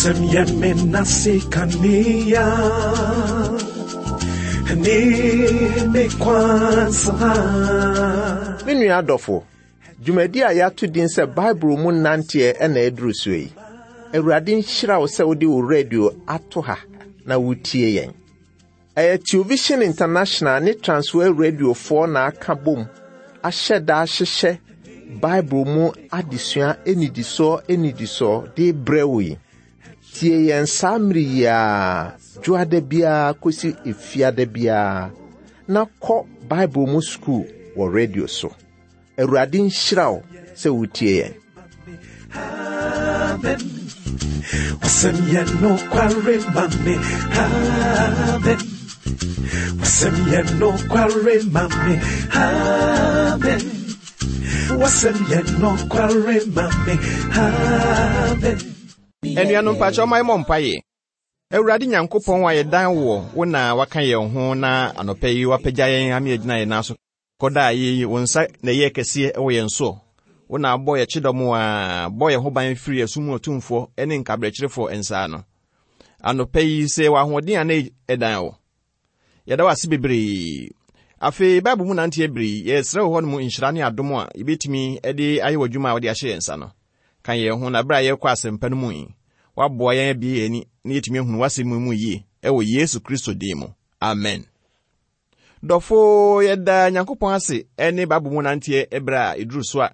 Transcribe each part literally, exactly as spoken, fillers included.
Wasɛm yɛ me nase kanea ne me kwansana. Me nua adɔfo, dwumadi a yɛato din sɛ Bible mu nanteɛ ɛna ɛduru so yi. Awurade nhyira wo sɛ wode wo radio ato ha na wotie yɛn. Ɛyɛ Television International ne Transworld Radiofoɔ na aka bom ahyɛ da ahyehyɛ Bible mu adesua anidisoɔ anidisoɔ de brɛ wo yi. Tie yɛn saa mmere yi ara, dwoada biara kɔsi efiada biara, na kɔ Bible mu sukuu wɔ radio so. Awurade nhyira wo sɛ wotie yɛn. Amen. Wasɛm yɛ nokware ma me. Amen. Wasɛm yɛ nokware ma me. Amen. Wasɛm yɛ nokware ma me. Amen. Anuanom mpakyɛ ɔma yɛmmɔ mpaeɛ. Awurade Nyankopɔn a yɛdan wɔ wo na waka yɛn ho na anɔpa yi wapagya yɛn ama yɛgyina yɛn nan so. Kɔda a yi wo nsa na ɛyɛ kɛseɛ wɔ yɛn so. Wo na abɔ yɛn kyidɔm a bɔ yɛn ho ban firi esum mu otumfoɔ ne nkabrɛkyerefoɔ nsa ano. Anɔpa yi sɛ wɔ ahoɔden a na ɛdan wo. Yɛda wo ase bebree. Afei Bible mu nanteɛ bere yi, yɛsrɛ wo hɔ nom nhyira ne adom a yɛbɛtumi de ayɛ w'adwuma a wode ahyɛ yɛn nsa no. Ka yɛn ho na bere a yɛrekɔ asɛmpa no mu yi, woaboa yɛn abie yɛn ani na yɛtumi ahunu w'asɛm mu yie ɛwɔ Yesu Kristo din mu. Amen. Dɔfo, yɛda Nyankopɔn ase ne Bible mu nanteɛ ɛberɛ a ɛduru so a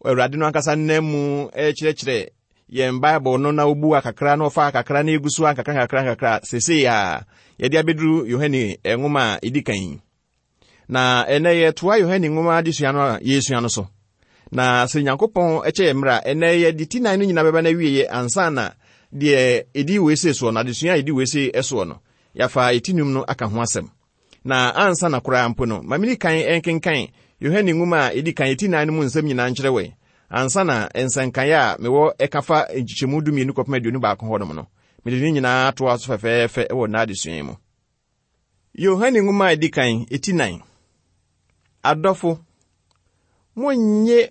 Awurade no ankasa nam mu ɛkyerɛkyerɛ yɛn Bible no na obu akakra na ɔfa akakra na egu so akakra nkakra nkakra seesei a yɛde abɛduru Yohane nwoma a ɛdi kan yi. Na ɛnɛ yɛtoa Yohane nwoma adesua no a yɛresua no so. Na sɛ Nyankopɔn kyɛ yɛn mmerɛ a, ɛnɛ yɛde ti nan no nyinaa bɛba no awieɛ ansa na deɛ ɛdi wei se soɔ no, adesua a ɛdi wei se soɔ no, yɛafa ɛti num no aka ho asɛm. Na ansa na koraa mpo no, ma mini kan nkenkan Yohane nwoma a ɛdi kan ɛti nan no mu nsɛm nyinaa nkyerɛ wɛ. Ansa na nsɛnkaeɛ a mewɔ ɛka fa nkyekyɛmu dumienu kɔpem aduonu baako hɔnom no, mede ne nyinaa toa so fɛfɛɛfɛ wɔ n'adesua yi mu. Yohane nwoma a ɛdi kan ɛti nan. Adɔfo, monnye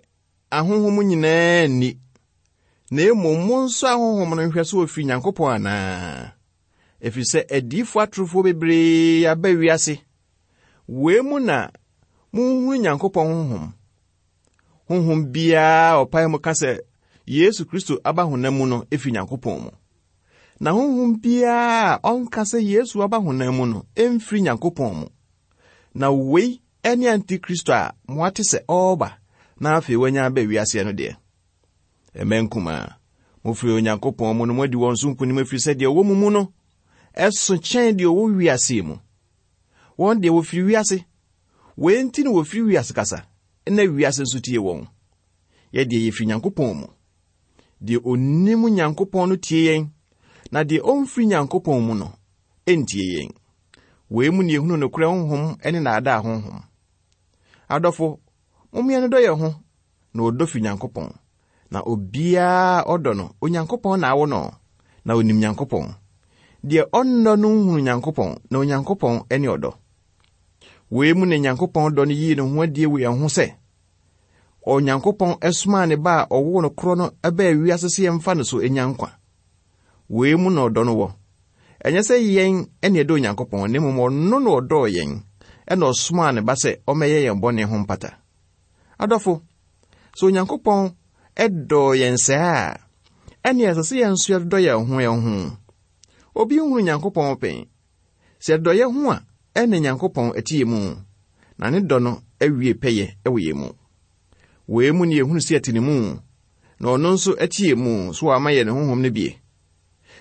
ahonhom nyinaa nni, na mmom monsɔ ahonhom no nhwɛ sɛ wɔfiri Nyankopɔn anaa. Ɛfiri sɛ adiyifoɔ atorofoɔ bebree aba wiase. Wei mu na monhunu Nyankopɔn honhom. Honhom biara a ɔpae mu ka sɛ Yesu Kristo aba honam mu no ɛfiri Nyankopɔn mu. Na honhom biara a ɔnka sɛ Yesu aba honam mu no ɛmfiri Nyankopɔn mu. Na wei ɛne Antikristo a moate sɛ ɔreba na afei wanya aba wiase no deɛ. Ɛmɛ nkumaa, mofiri Onyankopɔn mu no moadi wɔn so nkonim ɛfiri sɛ deɛ ɔwɔ mo mu no ɛso kyɛn deɛ ɔwɔ wiase mu. Wɔn deɛ wɔfiri wiase. Wei nti na wɔfiri wiase kasa, na wiase nso tie wɔn. Yɛ deɛ yɛfiri Nyankopɔn mu. Deɛ onim Nyankopɔn no tie yɛn, na deɛ ɔmfiri Nyankopɔn mu no ɛntie yɛn. Wei mu na yɛhunu nokorɛ honhom ne nnaadaa honhom. Adɔfo, mommea no dɔ yɛn ho, na ɔdɔ firi Nyankopɔn. Na obiara ɔdɔ no, Onyankopɔn na awo no, na onim Nyankopɔn. Deɛ ɔnnɔ no nhunu Nyankopɔn, na Onyankopɔn ne ɔdɔ. Wei mu na Nyankopɔn dɔ no yii ne ho adie wɔ yɛn ho sɛ, Onyankopɔn somaa ne ba a ɔwoo no korɔ no baa wiase sɛ yɛmfa no so nya nkwa. Wei mu na ɔdɔ no wɔ. Ɛnyɛ sɛ yɛn ne ɛdɔ Onyankopɔn, na mmom ɔno na ɔdɔɔ yɛn, ɛna ɔsomaa ne ba sɛ ɔmmɛyɛ yɛn bɔne ho mpata. Adɔfo, sɛ Onyankopɔn ɛdɔɔ yɛn saa a, ɛne ɛsɛ sɛ yɛn nso yɛdɔ yɛn ho yɛn ho. Obi nhunu Nyankopɔn pɛn. Sɛ yɛdɔ yɛn ho a, ɛne Nyankopɔn ɛte yɛn mu, na ne dɔ no awie pɛyɛ ɛwɔ yɛn mu. Wei mu ne yɛhunu sɛ yɛte ne mu, na ɔno nso ɛte yɛn mu, so wama yɛn ne honhom no bie.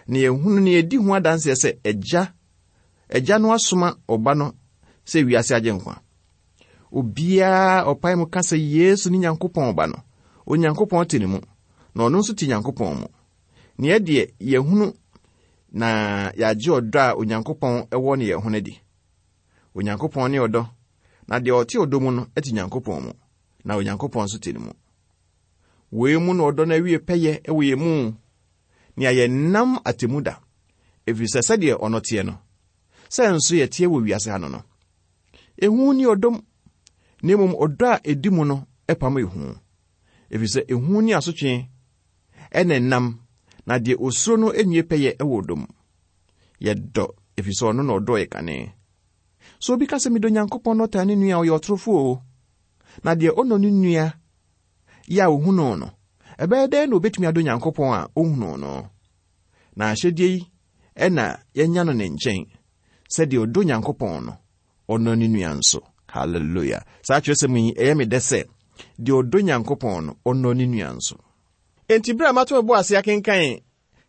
Na yɛhunu ne yɛdi ho adanseɛ sɛ Agya, Agya no asoma ɔba no sɛ wiase agye nkwa. Obiara ɔpae mu ka sɛ Yesu ne Nyankopɔn ba no, Onyankopɔn te ne mu, na ɔno nso te Nyankopɔn mu. Nea deɛ yɛhunu na yɛagye ɔdɔ a Onyankopɔn ɛwɔ ne yɛn ho no adi. Onyankopɔn ne ɔdɔ, na deɛ ɔte ɔdɔ mu no te Nyankopɔn mu, na Onyankopɔn nso te ne mu. Wei mu na ɔdɔ no awie pɛyɛ ɛwɔ yɛn mu, nea yɛnam atemmu da, ɛfiri sɛ sɛdeɛ ɔno teɛ no, sɛ nso yɛteɛ wɔ wiase ha no no. Ehu ne ɔdɔm, na mmom ɔdɔ a ɛdi mu no ɛpam ehu, ɛfiri sɛ ehu ne asotwe ɛna ɛnam, Na deɛ osuro no nwie pɛyɛ wɔ ɔdɔ mu. Yɛdɔ, ɛfiri sɛ ɔno na ɔdɔɔ yɛ kane. Sɛ obi ka sɛ medɔ Nyankopɔn na ɔtaa ne nua a, ɔyɛ ɔtorofoɔ o. Na deɛ ɔnnɔ ne nua yɛ a ohu no no, ɛbɛyɛ dɛn na obetumi adɔ Nyankopɔn a ohunu no? Na ahyɛdeɛ yi ɛna yɛnya no ne nkyɛn, sɛdeɛ ɔdɔ Nyankopɔn no, ɔnnɔ ne nua nso. Hallelujah. Saa kyerɛsɛm yi, ɛyɛ me dɛ sɛ deɛ ɔdɔ Nyankopɔn no, ɔnnɔ ne nua nso. Enti berɛ a mato me bo ase akenkan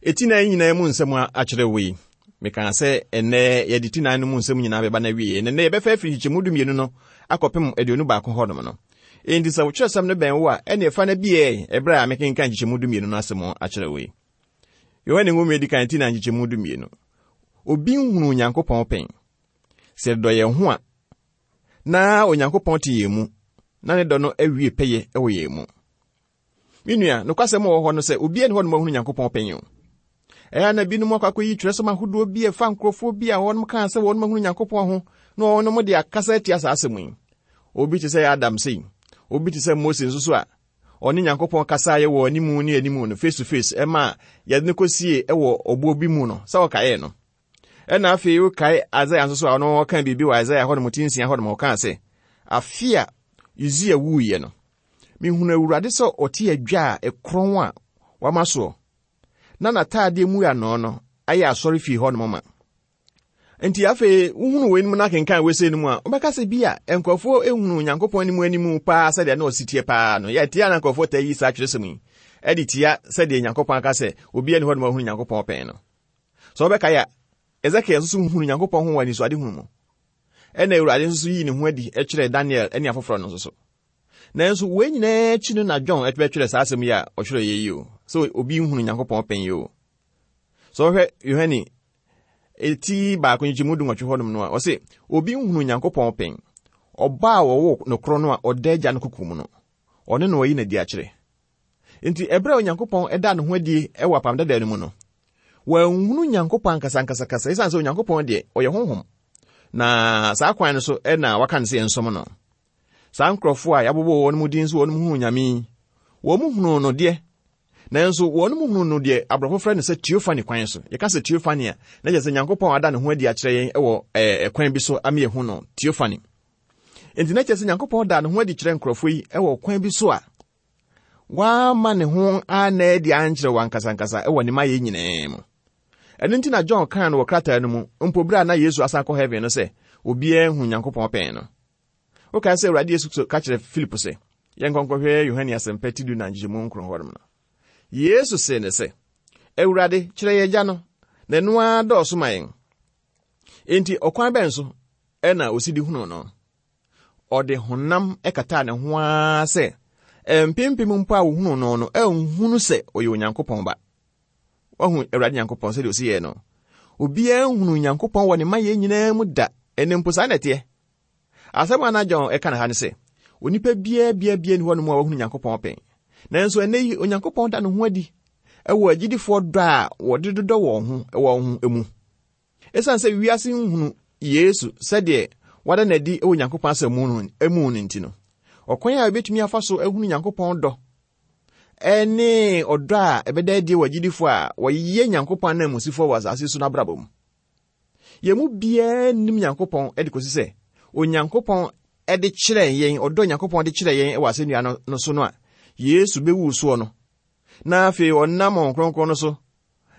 eti nan nyinaa mu nsɛm akyerɛ wo yi, mekaa sɛ ɛnnɛ yɛde ti nan no mu nsɛm nyinaa bɛba no awie. Ɛnnɛ nnɛ yɛbɛfa afiri nkyekyɛmu dumienu no akɔpem aduonu baako hɔnom no. Enti sɛ wokyerɛsɛm no bɛn wo a, ɛne ɛfa no biɛ ɛberɛ a mekenkan nkyekyɛmu dumienu no asɛm akyerɛ wo yi. Yohane nwoma edi kan ti nan nkyekyɛmu dumienu. Obi nhunu Onyankopɔn pɛn. Sɛ yɛdɔ yɛn ho a, na Onyankopɔn te yɛn mu, na ne dɔ no awie pɛyɛ wɔ yɛn mu. Me nua, nokwasɛm wɔ hɔ no sɛ obiara nni hɔ nom ahunu Nyankopɔn pɛn o. Ɛyɛ na binom akɔ akɔyi twerɛsɛm ahodoɔ bi a ɛfa nkurɔfoɔ bi a wɔnom kaa sɛ wɔnom ahunu Nyankopɔn ho, na wɔnom de akasa atia saa asɛm yi. Obi te sɛ Adam sei, obi te sɛ Mose nso so a ɔne Nyankopɔn kasaeɛ wɔ animu ne animu no, face to face, ɛma yɛde no kɔsie ɛwɔ ɔboɔ bi mu no, sɛ ɔkaeɛ no. Ɛna afei wokae Isaiah nso so a ɔno ɔka biribi wɔ Isaiah hɔnom ti nsia hɔnom, ɔkaa sɛ, afe a Usia wuiɛ no, mehunu Awurade sɛ ɔte adwa a ɛkorɔn a wama soɔ, na n'ataadeɛ mu ano no ayɛ asɔre fie hɔnom ma. Nti afei wohunu weinom na akenkan wei no mu a, wobɛka sɛ bi a nkurɔfoɔ ehunu Nyankopɔn anim anim paa sɛdeɛ na ɔsi teɛ paa no. Yɛtia na nkurɔfoɔ taa yi saa twerɛsɛm yi ɛde tia sɛdeɛ Nyankopɔn aka sɛ obiara nni hɔnom ahunu Nyankopɔn pɛn no. Sɛ wobɛkae a, Ezekiel nso so hunu Nyankopɔn ho wɔ anisoadehunu mu. Ɛna Awurade nso so yii ne ho adi kyerɛɛ Daniel ne afoforɔ no nso so. Nanso wei nyinaa akyi no na John bɛtwerɛ saa asɛm yi a ɔtwerɛ yɛ yi o, sɛ obi nhunu Nyankopɔn pɛn yi o. Sɛ wohwɛ Yohane eti baako nkyekyɛmu du nwɔtwe hɔnom no a, ɔse obi nhunu Nyankopɔn pɛn. Ɔba a wɔwɔ nokorɔ no a ɔda agya no koko mu no, ɔno na ɔyi n'adi akyerɛ. Nti ɛberɛ a Onyankopɔn ɛda ne ho adi ɛwɔ apam dada no mu no, wɔanhunu Nyankopɔn ankasa ankasa kasa, ɛsiane sɛ Onyankopɔn deɛ ɔyɛ honhom. Na saa kwan no so ɛna waka no sɛ yɛnsom no. Saa nkurɔfoɔ a yɛabobɔ wɔn mu din so wɔn mu hunu Nyame yi, wɔn mu hunu no deɛ, nanso wɔn mu hunu no deɛ aborɔfo frɛ no sɛ theophany kwan so. Yɛka sɛ theophany a, na kyerɛ sɛ Nyankopɔn ada ne ho adi akyerɛ yɛn wɔ ɛkwan bi so ama yɛhu no, theophany. Enti na kyerɛ sɛ Nyankopɔn da ne ho adi kyerɛ nkurɔfoɔ yi wɔ kwan bi so a wama ne ho ana adi ankyerɛ wɔn ankasa wɔ ne mayɛ nyinaa mu. Ɛno nti na John kaa no wɔ krataa no mu, mpo berɛ a na Yesu asan kɔ heaven no sɛ obiara hu Nyankopɔn pɛn no. Wokae sɛ Awurade Yesu ka kyerɛ Philip sɛ yɛnkɔnkɔhwɛ Yohane asɛmpa ti du na nkyekyɛmu nkron hɔnom no. Yesu see ne sɛ, Awurade, kyerɛ yɛn agya no, na ɛno ara dɔɔso ma yɛn. Enti ɔkwan bɛn so ɛna osi de hunu no? Ɔde honam ɛkataa ne ho ara sɛ mpempem mpo a wohunu no no ɛnhunu sɛ ɔyɛ Onyankopɔn ba. Wahu Awurade Nyankopɔn sɛdeɛ osi yɛɛ no. Obiara nhunu Nyankopɔn wɔ ne mma yɛn nyinaa mu da, ɛne mpo saa na ɛteɛ. Asɛm a na John ɛka ne ha ne sɛ, onipa biara biara biara nni hɔnom a wahunu Nyankopɔn pɛn. Nanso ɛnnɛ yi, Onyankopɔn da ne ho adi ɛwɔ agyidifoɔ dɔ a wɔde dodɔ wɔn ho wɔn ho mu. Esiane sɛ wiase nhunu Yesu sɛdeɛ wada n'adi wɔ Nyankopɔn asɛm mu no mu no nti no, ɔkwan a ebetumi afa so ahunu Nyankopɔn dɔ ɛne ɔdɔ a ɛbɛda adi wɔ agyidifoɔ a wɔyɛ Nyankopɔn ananmusifoɔ wɔ asase so n'abrabɔ mu. Yɛn mu biara nnim Nyankopɔn de kɔsi sɛ Onyankopɔn de kyerɛ yɛn, ɔdɔ Nyankopɔn de kyerɛ yɛn wɔ asɛnnua no, no so no a Yesu bɛwu soɔ no, na afei ɔnam Honhom Kronkron no so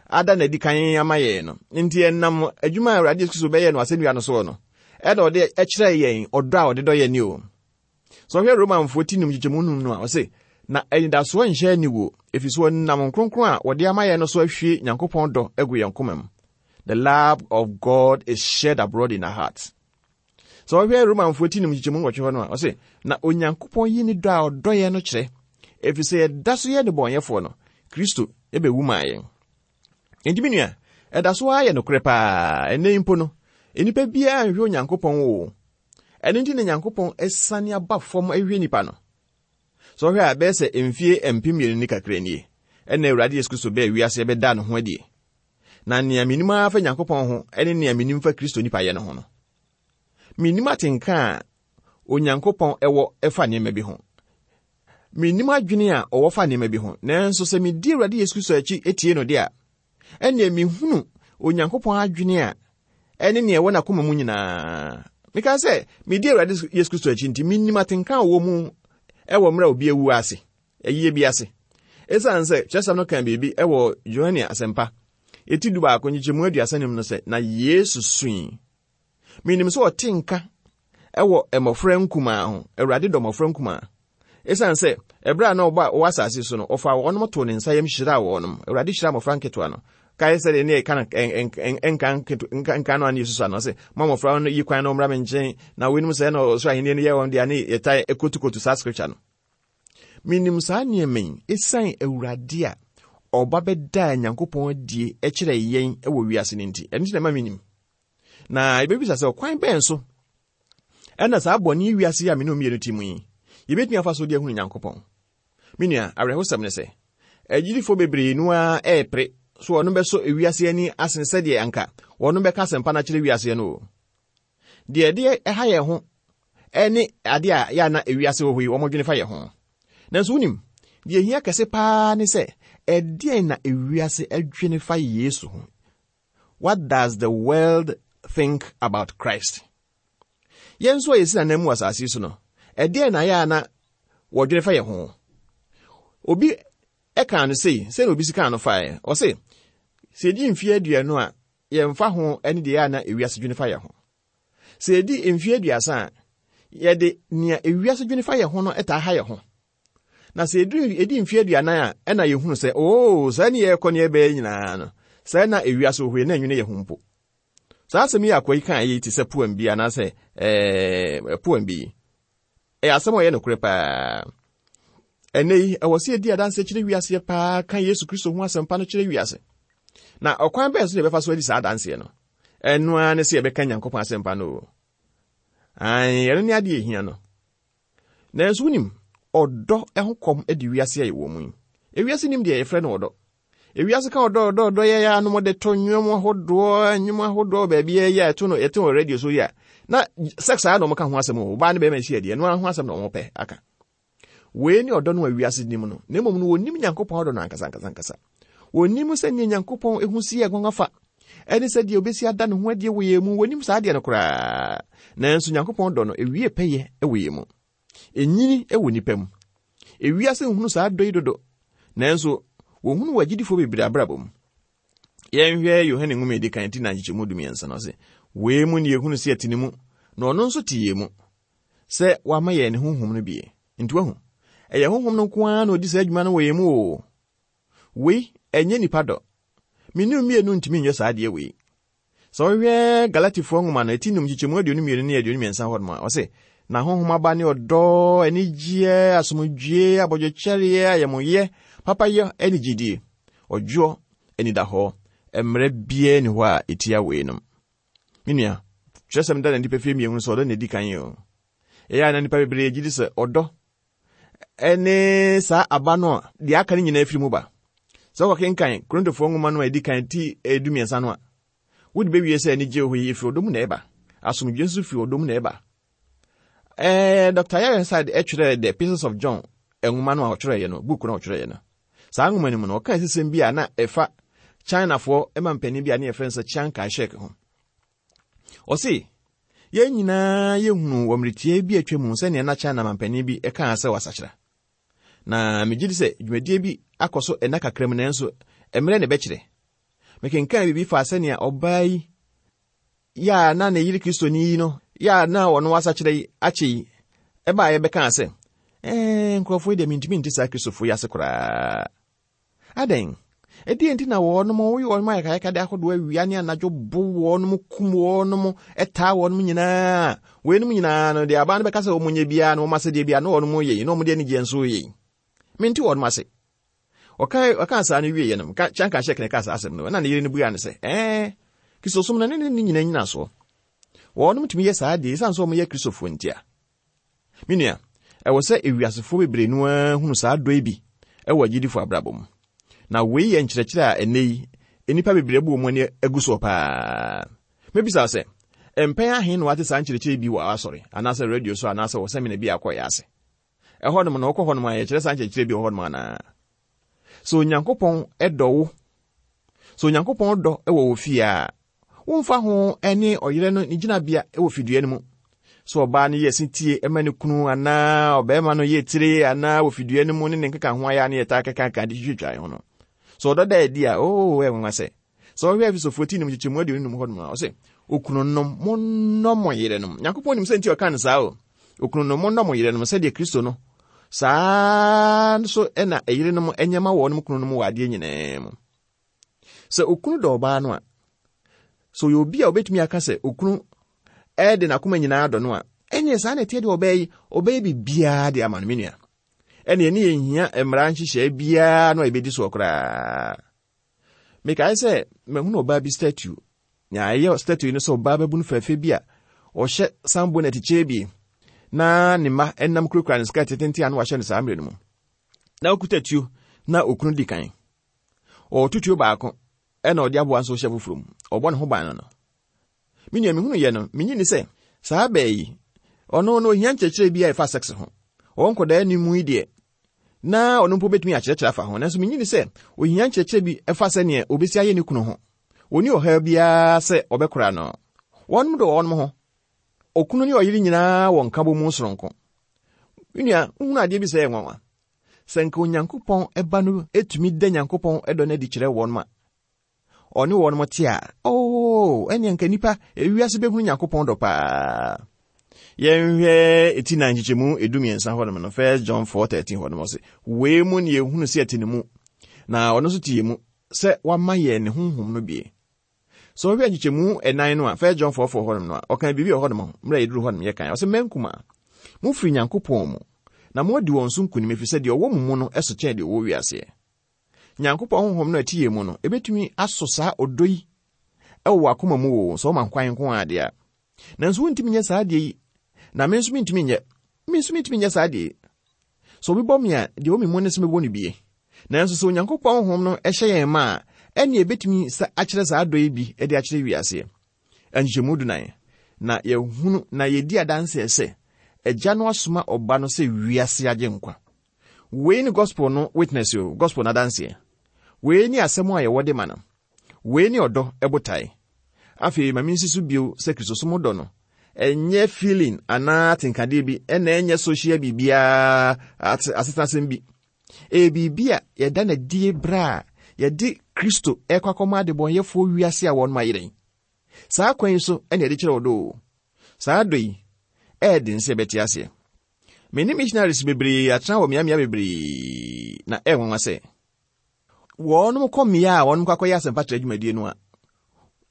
ada n'adi kan ama yɛn no. Nti ɛnam adwuma a Awurade Yesu Kristo bɛyɛ no asɛnnua no soɔ no, ɛna ɔde kyerɛ yɛn ɔdɔ a ɔde dɔ yɛn ni o. Sɛ ɔhwɛ Romanfoɔ ti num nkyekyɛmu num no a, ɔse, na anidasoɔ nhyɛ aniwuo, ɛfiri sɛ ɔnam Kronkron a wɔde ama yɛn no so ahwie Nyankopɔn dɔ agu yɛn koma mu. The love of God is shed abroad in our hearts. Sɛ ɔhwɛ Romanfoɔ ti num nkyekyɛmu nwɔtwe hɔ no a, ɔse, na Onyankopɔn yi ne dɔ a ɔdɔ yɛn no kyerɛ, ɛfiri sɛ yɛda so yɛ nnebɔneyɛfoɔ no, Kristo ɛbɛwu maa yɛn. Enti me nua, ɛda so ara yɛ nokorɛ paa. Ɛnnɛ mpo no, nnipa biara nhwɛ Onyankopɔn o. Ɛno nti na Nyankopɔn asiane aba fam ahwehwɛ nnipa no. Sɛ ɔhwɛ a, ɛbɛyɛ sɛ mfie mpem mmienu ne kakra nie, ɛna Awurade Yesu Kristo bɛɛ wiase bɛda ne ho adie. Na nea menim ara fa Nyankopɔn ho ne nea menim fa Kristo nipa yɛ no ho no, menim atenka a Onyankopɔn ɛwɔ ɛfa nneɛma bi ho. Mennim adwene a ɔwɔ fa nneɛma bi ho, nanso sɛ medi Awurade Yesu Kristo akyi etie no de a, ɛnneɛ mehunu Onyankopɔn adwene a ɛne nea ɛwɔ n'akoma mu nyinaa. Meka sɛ medi Awurade Yesu Kristo akyi nti mennim atenka a ɔwɔ mu ɛwɔ mmerɛ a obi awu ase, ɛyie bi ase. Esiane sɛ kyerɛsɛm no kan biribi ɛwɔ Yohane Asɛmpa eti du baako nkyekyɛmu aduasa num no sɛ, na Yesu sui. Menim sɛ ɔte nka ɛwɔ mmɔfra nkumaa ho. Awurade dɔ mmɔfra nkumaa. Esiane sɛ ɛberɛ a na ɔba wɔ asase so no, ɔfaa wɔnom too ne nsa yam hyiraa wɔnom. Awurade hyira mmɔfra nketewa no. Kae sɛ deɛ ne yɛka no nka nka no a ne Yesu ano sɛ, mo mmɔfra no yi kwan na ɔmmra me nkyɛn, na weinom sɛ na ɔsoro ahenni no yɛ wɔn deɛ, ne yɛtae kotukotu saa scripture no. Menim saa nneɛma yi esiane Awurade a ɔba bɛdaa Nyankopɔn adie kyerɛ yɛn wɔ wiase no nti. Ɛno nti na ɛma menim. Na yɛbɛbisa sɛ ɔkwan bɛn so ɛna saa bɔne wiase yi a me ne mmienu te mu yi, yɛbɛtumi afa so de ahunu Nyankopɔn. Me nua, awerɛhosɛm ne sɛ agyidifoɔ bebree no ara ɛɛpere so wɔn bɛsɔ ewiase ani asen sɛdeɛ anka wɔn bɛka asɛmpa no akyerɛ wiase no o. Deɛ ɛde ɛha yɛn ho ɛne adeɛ a yɛ ana ewiase wɔ hɔ yi wɔn dwene fa yɛn ho. Nanso wonim, deɛ ehia kɛse paa ne sɛ ɛdeɛn na ewiase adwene fa Yesu ho. What does the world think about Christ? Yɛn nso a yɛsi nanan mu asase yi so no, ɛdeɛn na yɛ ana wɔdwene fa yɛn ho? Obi ɛka no sei, sɛ na obi si kaa no faeɛ. Ɔse, sɛ yɛdi mfeɛ aduonu a, yɛmfa ho ne deɛ yɛ ana ewiase dwene fa yɛn ho. Sɛ yɛdi mfeɛ aduasa a, yɛde nea ewiase dwene fa yɛn ho no ɛtaa ha yɛn ho. Na sɛ yɛdi mfeɛ aduanan a, ɛna yɛhunu sɛ, oo, saa ne yɛrekɔ ne yɛbɛyɛ nyinaa no, saa na ewiase wɔ hɔ yi na ɛnwene yɛn ho mpo. Saa asɛm yi akɔ yi kaa yi te sɛ poem bi anaasɛ ɛɛ poem bi. Ɛyɛ asɛm a ɔyɛ nokorɛ paa. Ɛnɛ yi, ɛwɔ sɛ yɛdi adanse kyerɛ wiase paa ka Yesu Kristo ho asɛmpa no kyerɛ wiase. Na ɔkwan bɛn so na yɛbɛfa so adi saa adanseɛ no? Ɛno ara ne sɛ yɛbɛka Nyankopɔn asɛmpa no o. Ae, ɛno ne adeɛ ehia no. Nanso wonim, ɔdɔ ho kɔm di wiase a yɛwɔ mu yi. Ewiase nim deɛ yɛfrɛ no ɔdɔ. Ewiase ka ɔdɔ ɔdɔ ɔdɔ yɛ yɛ anom de to nnwom ahodoɔ, nnwom ahodoɔ baabi yɛ yɛ ɛto no yɛte wɔ radio so yi a, na sex a na wɔn ka ho asɛm o, ɔbaa ne bɛrima hyia deɛ, ɛno ara ho asɛm na wɔn pɛ aka. Wei ne ɔdɔ no a wiase nim no, na mmom no wɔnim Nyankopɔn ɔdɔ no ankasa ankasa ankasa. Wɔnim sɛ nea Nyankopɔn ehu si yɛ nwanwa fa, ɛne sɛ deɛ obesi ada ne ho adie wɔ yɛn mu, wɔnim saa adeɛ no koraa. Nanso Nyankopɔn dɔ no ewie pɛyɛ wɔ yɛn mu. Enyini wɔ nipa mu. Ewiase nhunu saa dɔ yi dodo, nanso wɔhunu wɔ agyidifoɔ bebree abrabɔ mu. Yɛnhwɛ Yohane nwoma a edi kan ti na nkyekyɛmu du mmiɛnsa no ɔse, wei mu ne yɛhunu sɛ yɛte ne mu, na ɔno nso te yɛn mu, sɛ wama yɛn ne honhom no bie. Nti wahu, ɛyɛ honhom no nko ara na ɔdi saa adwuma no wɔ yɛn mu o. Wei ɛnyɛ nipa dɔ. Me ne mmienu ntumi nyɛ saa adeɛ wei. Sɛ wohwɛ Galatifoɔ nwoma no eti num nkyekyɛmu aduonu mmienu ne aduonu mmiɛnsa hɔ nom a, ɔse, na honhom aba ne ɔdɔ, anigyeɛ, asomdwie, abɔdwokyɛreɛ, ayɛmoyɛ, papayɛ ne gyidie, ɔdwoɔ, anidahɔ, mmerɛ biara ni hɔ a ɛtia wei nom. Me nua, kyerɛsɛm da na nnipa fie mmienu sɛ ɔdɔ na ɛdi kan yi o. Ɛyɛ a na nnipa bebree gye di sɛ ɔdɔ ɛne saa aba no a deɛ aka no nyinaa firi mu ba. Sɛ wɔkenkan Korintofoɔ nwoma no a ɛdi kan ti du mmiɛnsa no a, wode bɛwie sɛ anigye wɔ hɔ yi firi ɔdɔ mu na ɛba. Asomdwie nso firi ɔdɔ mu na ɛba. Ɛɛ Doctor Ironside ɛtwerɛ The Epistles of John nwoma no a ɔtwerɛeɛ no, book no a ɔtwerɛeɛ no. Saa nwoma no mu no, ɔkaa sisɛm bi a na ɛfa Chinafoɔ ma mpanin bi a ne yɛfrɛ no sɛ Chiang Kai-shek ho. Ɔse, yɛn nyinaa yɛhunu wɔ mmeretie bi atwa mu sɛnea na China mampanin bi kaa sɛ wasakyera. Na megye di sɛ dwumadie bi akɔ so ɛna kakra mu nanso mmerɛ na ɛbɛkyerɛ. Mekenkan biribi fa sɛnea ɔbaa yi yɛ a na ne yere Kristoni yi no yɛ a na ɔno wasakyera yi akyɛ yi ɛbaa yɛbɛkaa sɛ ɛɛ nkurɔfoɔ yi deɛ mentumi nte saa Kristofoɔ yi ase koraa. Adɛn? Ɛdeɛ nti na wɔnom woyɛ wɔnom ayakayakade ahodoɔ awia ne anadwo bo wɔnom kum wɔnom ɛtaa wɔnom nyinaa. Weinom nyinaa no deɛ abaa no bɛka sɛ wɔn nyɛ biara na wɔn asɛdeɛ biara na wɔnom yɛ yi na wɔn de anigyeɛ nso yɛ yi. Mente wɔnom ase. Ɔka ɔka saa no wieɛ no, Chiang Kai-shek na ɛka saa asɛm no, ɛna ne yere no bua no sɛ, ɛɛ Kristosom no ne ne nyinaa nyina soɔ. Wɔnom tumi yɛ saa deɛ ɛsiane sɛ wɔn yɛ Kristofoɔ nti a. Me nua, ɛwɔ sɛ ewiasefoɔ bebree no ara hunu saa dɔ yi bi ɛwɔ agyidifoɔ abrabɔ mu. Na wei yɛ nkyerɛkyerɛ a ɛnnɛ yi, nnipa bebree abu wɔn ani agu soɔ paa. Mebisa sɛ, mpɛn ahe na wate saa nkyerɛkyerɛ bi wɔ asɔre, anaasɛ radio so, anaasɛ wɔ seminar bi a akɔyɛ ase? Ɛhɔnom no, wokɔ hɔnom a, yɛkyerɛ saa nkyerɛkyerɛ bi wɔ hɔnom anaa? Sɛ Onyankopɔn dɔ wo, sɛ Onyankopɔn dɔ wɔ wo fie a, womfa ho ne ɔyere no ne gyinabea wɔ fidua no mu. Sɛ ɔbaa no yɛ setie ma ne kunu anaa ɔbarima no yɛ tire anaa wɔ fidua no mu ne ne nkeka ho ayɛ a ne yɛtaa kɛkaka de twitwitwa ho no. Sɛ ɔdɔ da adi a, oo, ɛyɛ nwanwa sɛ. Sɛ ɔhwɛ Efesofoɔ ti num nkyekyɛmu aduonu num hɔnom a, ɔsɛ, okununom, monnɔ mo yerenom. Nyankopɔn nim sɛ nti ɔka no saa o. Okununom, monnɔ mo yerenom sɛdeɛ Kristo no. Saa nso ɛna ɛyerenom nyɛ ma wɔn kununom wɔ adeɛ nyinaa mu. Sɛ okunu dɔ ɔbaa no a, sɛ ɔyɛ obi a obetumi aka sɛ okunu ɛde n'akoma nyinaa dɔ no a, ɛneɛ saa na ɛteɛ deɛ ɔbɛyɛ yi, ɔbɛyɛ biribiara de ama no, me nua. Ɛneɛ ne yɛnhia mmara nhyehyɛe biara no a yɛbɛdi soɔ koraa. Mekae sɛ mahunu ɔbaa bi statue. Nea ɛyɛ statue no sɛ ɔbaa bɛbu no fɛfɛ bi a ɔhyɛ sunbonnet kyɛ bi na ne mma ɛnam kurakura ne skirt tenten a na wahyɛ no saa mmerɛ no mu. Na ɔkuta tuo na okunu di kan. Ɔɔto tuo baako ɛna ɔde aboa nso hyɛ foforɔ mu. Ɔbɔ ne ho ban no no. Me nua, mehunu yɛ no, menyi ni sɛ saa bɛɛ yi, ɔno no ohia nkyerɛkyerɛ bi a ɛfa sex ho. Ɔwɔ nkɔdaa anim yi deɛ, na ɔno mpo bɛtumi akyerɛkyerɛ afa ho. Nanso menyi ni sɛ ohia nkyerɛkyerɛ bi ɛfa sɛneɛ obɛsi ayɛ ne kunu ho. Ɔni ɔhaw biara sɛ ɔbɛkora no. Wɔnom dɔ wɔnom ho. Okunu ne ɔyere nyinaa wɔ nkabɔ mu soronko. Me nua, wohunu adeɛ bi sɛ ɛyɛ nwanwa. Sɛ nka Onyankopɔn ɛba no etumi da Nyankopɔn ɛdɔ no adi kyerɛ wɔn a, ɔne wɔn te a, oo, ɛnneɛ nka nnipa ewiase bɛhunu Nyankopɔn dɔ paa. Yɛnhwɛ eti na nkyekyɛmu edu mmiɛnsa hɔnom no, First John four thirteen hɔnom ɔse, wei mu ne yɛhunu sɛ ɛte ne mu, na ɔno nso te yɛ mu, sɛ wama yɛn ne honhom no bie. Sɛ ɔhwɛ nkyekyɛmu ɛnan no a, First John four four hɔnom no a, ɔka biribi wɔ hɔnom, mmerɛ yɛduru hɔnom yɛkan, ɔse, mma nkumaa, mofiri Nyankopɔn mu, na moadi wɔn so nkonim, ɛfiri sɛ deɛ ɔwɔ mo mu no ɛso kyɛn deɛ ɔwɔ wiaseɛ. Nyankopɔn honhom no a ɛte yɛn mu no, ebɛtumi asɔ saa ɔdɔ yi ɛwɔ w'akoma mu o, sɛ ɔma kwan nko adeɛ a. Nanso wontumi nyɛ saa adeɛ yi, na me nso mentumi nyɛ. Me nso mentumi nyɛ saa adeɛ yi. Sɛ obi bɔ me a, deɛ ɔwɔ me mu ne sɛ mɛbɔ no bie. Nanso sɛ Onyankopɔn honhom no ɛhyɛ yɛn ma a, ɛnneɛ ebɛtumi akyerɛ saa dɔ yi bi de akyerɛ wiaseɛ. Nkyekyɛmu dunan, na yɛhunu na yɛdi adanseɛ sɛ Agya no asoma ɔba no sɛ wiase agye nkwa. Wei ne gospel no witness o, gospel no adanseɛ. Wei ne asɛm a yɛwɔ de ma no. Wei ne ɔdɔ ɛbotae. Afei ma mensi so bio sɛ Kristosom dɔ no, ɛnyɛ feeling anaa atenkadeɛ bi, ɛna ɛnyɛ social biribiara asetenasɛm bi. Ɛyɛ biribi a yɛda n'adie berɛ a yɛde Kristo ɛkɔ akɔma adebɔnyɛfoɔ wiase a wɔnom ayerɛn. Saa kwan yi so ɛna yɛde kyerɛ ɔdɔ o. Saa dɔ yi, ɛyɛ den sɛ yɛbɛte aseɛ. Me ne missionaries bebree atena wɔ mmeammea bebree na ɛyɛ nwanwa sɛ wɔnom kɔ mmea a wɔnom kɔ akɔyɛ asɛmpa kyerɛ dwumadie no a,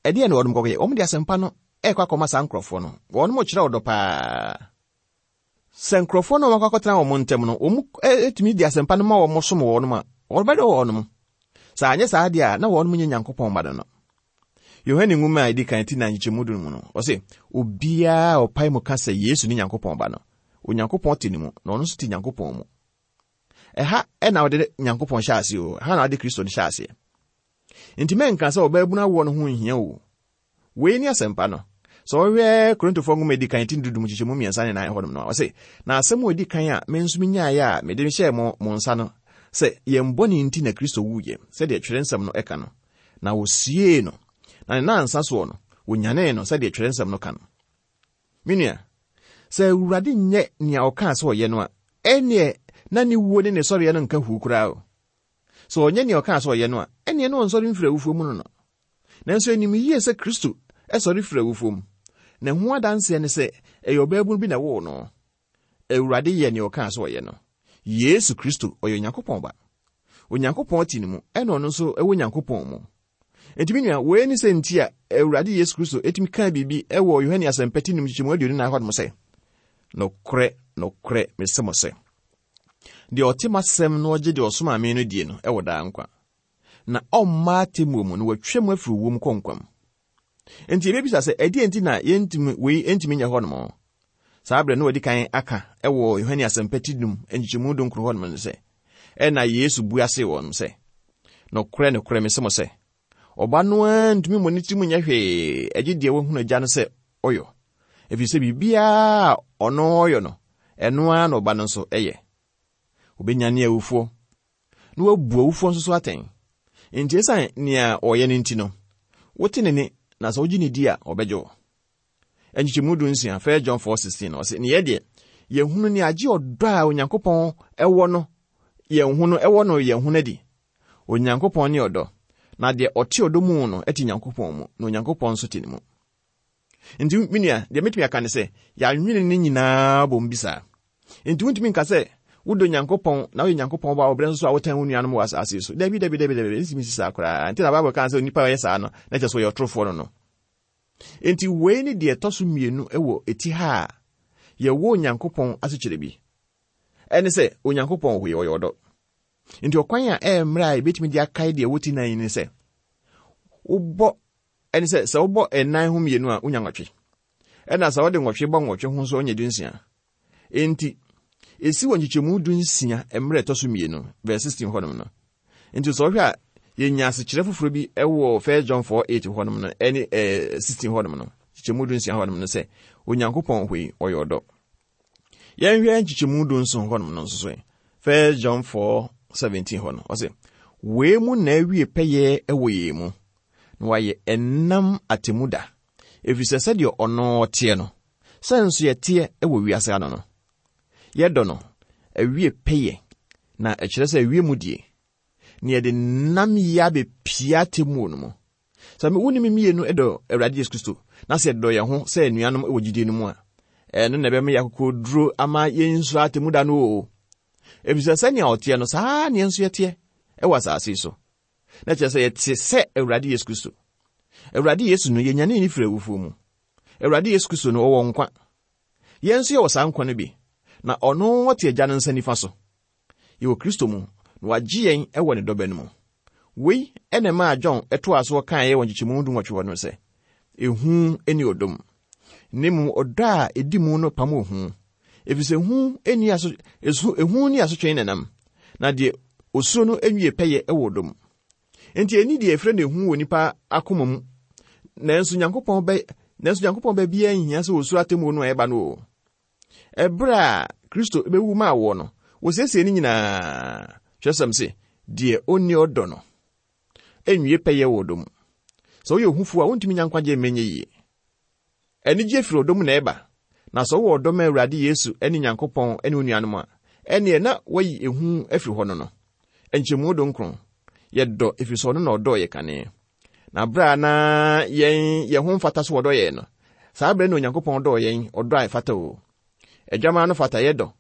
ɛdeɛ na wɔnom kɔkɔyɛ? Wɔn de asɛmpa no ɛkɔ akɔma saa nkurɔfoɔ no. Wɔnom kyerɛ ɔdɔ paa. Sɛ nkurɔfoɔ no a wɔakɔ akɔtena wɔn ntam no, wɔn etumi de asɛmpa no ma wɔn som wɔnom a, wɔbɛdɔ wɔnom. Sɛ anyɛ saa deɛ a, na wɔnom nyɛ Nyankopɔn mma no no. Yohane nwoma a ɛdi kan ti na nkyekyɛmu du mu no, ɔse, obiara a ɔpae mu ka sɛ Yesu ne Nyankopɔn ba no, Onyankopɔn te ne mu, na ɔno nso te Nyankopɔn mu. Ɛha ɛna ɔde Nyankopɔn hyɛ aseɛ o, ɛha na ɔde Kristo no hyɛ aseɛ. Nti mɛnka sɛ ɔbaabunu awoɔ no ho nhia o. Wei ne asɛmpa no. Sɛ ɔhwɛ Korintofoɔ nwoma a ɛdi kan ti dudum nkyekyɛmu mmiɛnsa ne nan hɔnom no, ɔse, na asɛm a ɛdi kan a me nso menyaeɛ a mede hyɛɛ mo mo nsa no, sɛ yɛn bɔne nti na Kristo wuiɛ, sɛdeɛ twerɛ nsɛm no ɛka no, na wɔsiee no, na ne nansa soɔ no, wɔnyanee no sɛdeɛ twerɛ nsɛm no ka no. Me nua, sɛ Awurade nyɛ nea ɔkaa sɛ ɔyɛ no a, ɛnneɛ na ne wuo ne ne sɔreɛ no nka huu koraa o. Sɛ ɔnyɛ nea ɔkaa sɛ ɔyɛ no a, ɛnneɛ na ɔnsɔre mfiri awufoɔ mu no no. Nanso anim yie sɛ Kristo ɛsɔre firi awufoɔ mu. Na ho adanseɛ ne sɛ ɛyɛ ɔbaabunu bi na ɛwoo no. Awurade yɛ nea ɔkaa sɛ ɔyɛ no. Yesu Kristo ɔyɛ Onyankopɔn ba. Onyankopɔn te ne mu, ɛna ɔno nso ɛwɔ Nyankopɔn mu. Enti me nua, wei ne sɛ nti a Awurade Yesu Kristo etumi kaa biribi ɛwɔ Yohane asɛmpa ti num nkyekyɛmu aduonu nan hɔnom sɛ, nokorɛ, nokorɛ, mese mo sɛ, deɛ ɔte m'asɛm na ɔgye deɛ ɔsomaa me no die no ɛwɔ daa nkwa. Na ɔmma atemmuo mu na watwa mu afiri owuo mu kɔ nkwa mu. Enti yɛbɛbisa sɛ, ɛdeɛn nti na yɛntumi, wei ntumi nyɛ hɔnom? Saa berɛ no wɔdi kan aka ɛwɔ Yohane asɛmpa ti num nkyekyɛmu dunkron hɔnom no sɛ, ɛna Yesu bua see wɔn sɛ, nokorɛ, nokorɛ, mese mo sɛ, ɔba no ara ntumi mmɔ ne tirim nyɛ hwee, ɛgye deɛ wahunu agya no sɛ ɔyɔ. Ɛfiri sɛ biribiara a ɔno ɔyɔ no, ɛno ara na ɔba no nso ɛyɛ. Obɛnyane awufoɔ na wabu awufoɔ nso so atɛn. Enti ɛsiane nea ɔyɛ no nti no, wote ne ne na sɛ wogye ne di a, ɔbɛgye wo. Nkyekyɛmu du nsia, First John four sixteen, ɔse, ne yɛ deɛ, yɛhunu ne agye ɔdɔ a Onyankopɔn ɛwɔ no yɛn ho no, ɛwɔ no yɛn ho no adi. Onyankopɔn ne ɔdɔ, na deɛ ɔte ɔdɔ mu no ɛte Nyankopɔn mu, na Onyankopɔn nso te ne mu. Nti me nua, deɛ metumi aka ne sɛ, yɛanwene ne nyinaa bɔ mu bi saa. Nti wontumi nka sɛ wodɔ Nyankopɔn na woyɛ Nyankopɔn ba a wɔbrɛ nso so a wotan wo nuanom wɔ asase so. Dabi, dabi, dabi, dabi, ntumi si saa koraa. Nti na Bible kaa sɛ onipa a ɔyɛ saa no, na kyerɛ sɛ ɔyɛ ɔtorofoɔ no no. Nti wei ne deɛ ɛtɔ so mmienu wɔ eti ha a yɛwɔ Onyankopɔn asekyerɛ bi. Ɛne sɛ Onyankopɔn wɔ hɔ, ɔyɛ ɔdɔ. Nti ɔkwan a ɛyɛ mmerɛ a yɛbɛtumi de akae deɛ ɛwɔ ti nan yi ne sɛ, wobɔ, ɛne sɛ, sɛ wobɔ ɛnan ho mmienu a, wonya nwɔtwe. Ɛna sɛ wode nwɔtwe bɔ nwɔtwe ho nso, wonya dunsia. Enti, esi wɔ nkyekyɛmu dunsia mmerɛ ɛtɔ so mmienu, verse sixteen hɔnom no. Nti sɛ wohwɛ a, yɛnya asekyerɛ foforɔ bi ɛwɔ First John four eight hɔnom no, ɛne, ɛɛ, sixteen hɔnom no, nkyekyɛmu dunsia hɔnom no sɛ, Onyankopɔn hɔ yi, ɔyɛ ɔdɔ. Yɛnhwɛ nkyekyɛmu dunson hɔnom no nso so yi. First John four seventeen hɔ no, ɔse, wei mu na awie pɛyɛ ɛwɔ yɛn mu, na wayɛ ɛnam atemu da, ɛfiri sɛ sɛdeɛ ɔno ɔteɛ no, sɛ nso yɛteɛ ɛwɔ wiase ano no, yɛdɔ no, awie pɛyɛ, na ɛkyerɛ sɛ awie mu die, na yɛde nam yi abɛpia atemmuo no mu. Sɛ me, wo ne me mmienu dɔ Awurade Yesu Kristo, na sɛ yɛdɔ yɛn ho sɛ anuanom wɔ gyidie no mu a, ɛno na ɛbɛma yɛn akokoduro ama yɛnsuro atemmu da no o. Ɛfiri sɛ sɛnea ɔteɛ no, saa na yɛn nso yɛteɛ ɛwɔ asase yi so. Na kyerɛ sɛ yɛte sɛ Awurade Yesu Kristo. Awurade Yesu no, yɛnyane ne firi awufoɔ mu. Awurade Yesu Kristo no, ɔwɔ nkwa. Yɛn nso yɛwɔ saa nkwa no bi, na ɔno ɔte Agya no nsa nifa so. Yɛwɔ Kristo mu, na wagye yɛn ɛwɔ ne dɔba no mu. Wei ɛna ɛmaa John ɛtoaa so kaeɛ wɔ nkyekyɛmu dunwɔtwe hɔ no sɛ, ehu ne ɔdɔ mu. Na mmom ɔdɔ a ɛdi mu no pam ohu. Ɛfiri sɛ ehu ni aso, esu, ehu ni asotwe nenam, na deɛ osuro no nwie pɛyɛ ɛwɔ ɔdɔ mu. Enti ɛni deɛ ɛfrɛ no ehu wɔ nipa akoma mu. Nanso Nyankopɔn bɛ, nanso Nyankopɔn bɛ biara nhia sɛ osuro atemmuo no a ɛba no o. Ɛberɛ a Kristo bɛwu maa woɔ no, wɔsiesie ne nyinaa. Twerɛsɛm se, deɛ ɔnni ɔdɔ no, ɛnwie pɛyɛ wɔ ɔdɔ mu. Sɛ woyɛ ohufoɔ a, wontumi nya nkwagye mma ɛnyɛ yie. Anigye firi ɔdɔ mu na ɛba. Na sɛ wowɔ ɔdɔ ma Awurade Yesu ne Nyankopɔn ne wo nuanom a, ɛneɛ na woayi ehu afiri hɔ no no. Nkyɛmu dunkron, yɛdɔ ɛfiri sɛ ɔno na ɔdɔɔ yɛ kane. Na berɛ a na yɛn, yɛn ho mfata so wɔdɔ yɛn no, saa berɛ na Onyankopɔn dɔɔ yɛn, ɔdɔ a ɛfata o. Adwaman no fata yɛdɔ.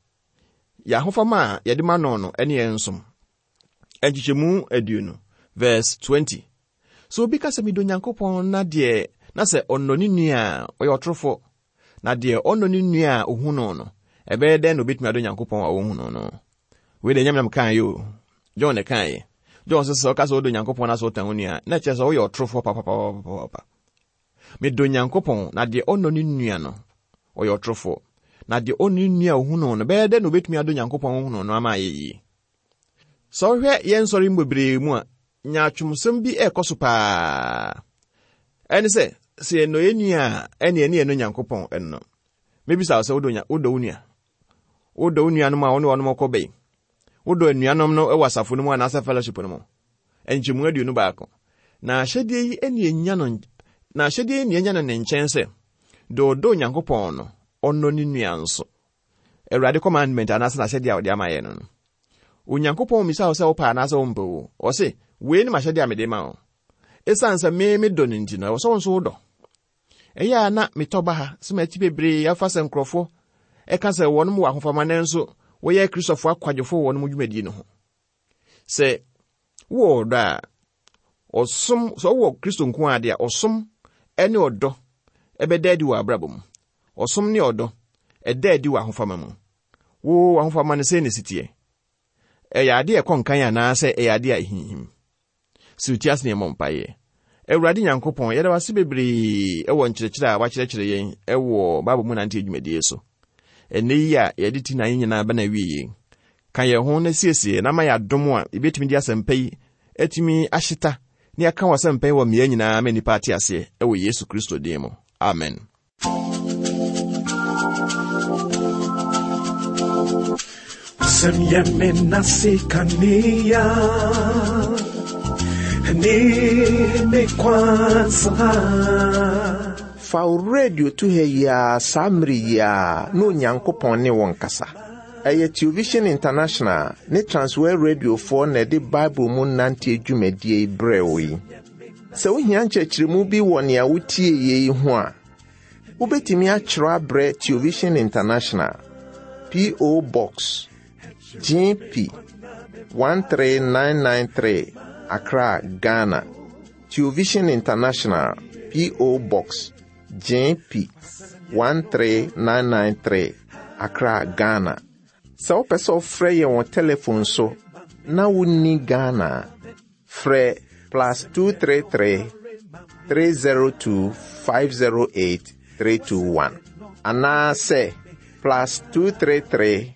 Yɛn ahofama a yɛde ma no no ne yɛn nsom. Nkyekyɛmu aduonu, verse twenty. Sɛ obi ka sɛ medɔ Nyankopɔn na deɛ, na sɛ ɔnnɔ ne nua a, ɔyɛ ɔtorofoɔ. Na deɛ ɔnnɔ ne nua a ohu no no, ɛbɛyɛ dɛn na obetumi adɔ Nyankopɔn a ɔnhu no no? Wei deɛ Nyame nam kaeɛ o. John na kaeɛ. John sɛ sɛ ɔka sɛ wodɔ Nyankopɔn na sɛ wotan wo nua a, na kyerɛ sɛ woyɛ ɔtorofoɔ papapapapapa. Medɔ Nyankopɔn na deɛ ɔnnɔ ne nua no, ɔyɛ ɔtorofoɔ. Na deɛ ɔnnɔ ne nua a ohu no no, bɛyɛ dɛn na obetumi adɔ Nyankopɔn a ohu no no ama ayɛ yie? Sɛ wohwɛ yɛn nsɔre mu bebree mu a, nyaatwomsɛm bi ɛrekɔ so paa. Ɛne sɛ, sɛ yɛnnɔ yɛn nua a, ɛne ɛne yɛnnɔ Nyankopɔn ɛno no. Mebisa wo sɛ, wodɔ nya-, wodɔ wo nua? Wodɔ wo nuanom a wo ne wɔnom kɔ bɛn? Wodɔ anuanom no wɔ asafo no mu anaasɛ fellowship no mu? Nkyɛmu aduonu baako. Na ahyɛdeɛ yi ɛne ɛnya no, na ahyɛdeɛ yi ne ɛnya no ne nkyɛn sɛ, deɛ ɔdɔ Onyankopɔn no, ɔnnɔ ne nua nso. Awurade commandment anaasɛ n'ahyɛdeɛ a ɔde ama yɛn no no. Onyankopɔn mmisa wo sɛ wopɛ anaasɛ wompɛ o. Ɔse, wei ne m'ahyɛdeɛ a mede ma wo. Esiane sɛ me medɔ no nti no, ɛwɔ sɛ wo nso wodɔ. Ɛyɛ a na metɔ ba ha sɛ mati bebree afa sɛ nkurɔfoɔ ɛka sɛ wɔnom wɔ ahofama nanso wɔyɛ Kristofoɔ akwadwofoɔ wɔ wɔnom dwumadie no ho. Sɛ wowɔ ɔdɔ a, ɔsom, sɛ wowɔ Kristo nko ara deɛ a, ɔsom ne ɔdɔ ɛbɛda adi wɔ abrabɔ mu. Ɔsom ne ɔdɔ ɛda adi wɔ ahofama mu. Wo ahofama no sɛn na esi teɛ? Ɛyɛ adeɛ a ɛkɔ nkan anaasɛ ɛyɛ adeɛ a ɛhinhim? Sɛ wotie ase na yɛmmɔ mpaeɛ. Awurade Nyankopɔn, yɛda wo ase bebree ɛwɔ nkyerɛkyerɛ a wakyerɛkyerɛ yɛn ɛwɔ Bible mu nante dwumadie so. Ɛnnɛ yi a yɛde ti na yɛn nyinaa bɛna awie yɛn. Ka yɛn ho na siesie na ma yɛ adom a yɛbɛtumi de asɛmpa yi atumi ahyeta na yɛaka wɔ asɛmpa yi wɔ mmea nyinaa ma nnipa ate aseɛ ɛwɔ Yesu Kristo din mu. Amen. Wasɛm yɛ me nase kanea ne me kwansa. Fa wo radio to ha yi ara saa mmere yi ara na Onyankopɔn ne wo nkasa. Ɛyɛ Television International ne Transworld Radiofoɔ na ɛde Bible mu nanteɛ dwumadie yi brɛɛ wo yi. Sɛ wohia nkyerɛkyerɛmu bi wɔ nea wotie yi ho a, wobɛtumi akyerɛw abrɛ Television International, P O. Box G P one three nine nine three, Accra, Ghana. Television International, P O. Box G P one three nine nine three, Accra, Ghana. Sɛ wopɛ sɛ wofrɛ yɛn wɔ telephone so na wonni Ghana a, frɛ plus two three three, three zero two, five zero eight three two one anaasɛ plus two three three,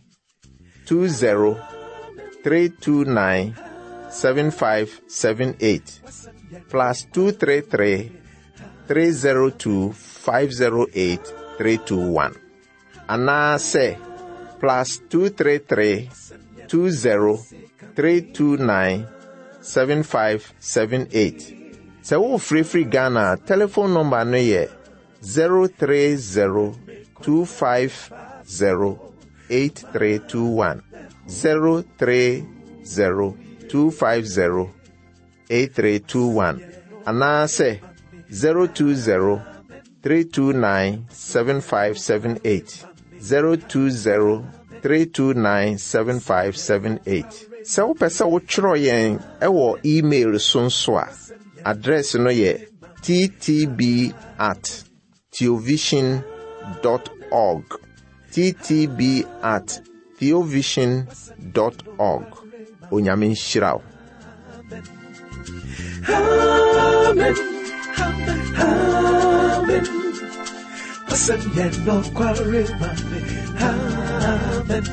two zero, three two nine, seven five seven eight, plus two three three, three zero two, five zero eight three two one anaasɛ plus two three three, two zero, three two nine, seven five seven eight. Sɛ wofirifiri Ghana a, telephone number no yɛ zero three zero, two five zero, eight three two one, zero three zero, two five zero, eight three two one anaasɛ zero two zero, three two nine, seven five seven eight, zero two zero, three two nine, seven five seven eight. Sɛ wopɛ sɛ wotwerɛ yɛn ɛwɔ email so nso a, address no yɛ T T B at theovision dot org, T T B at theovision dot org. Onyame nhyira wo. Amen. Amen. Wasɛm yɛ nokware ma me. Amen.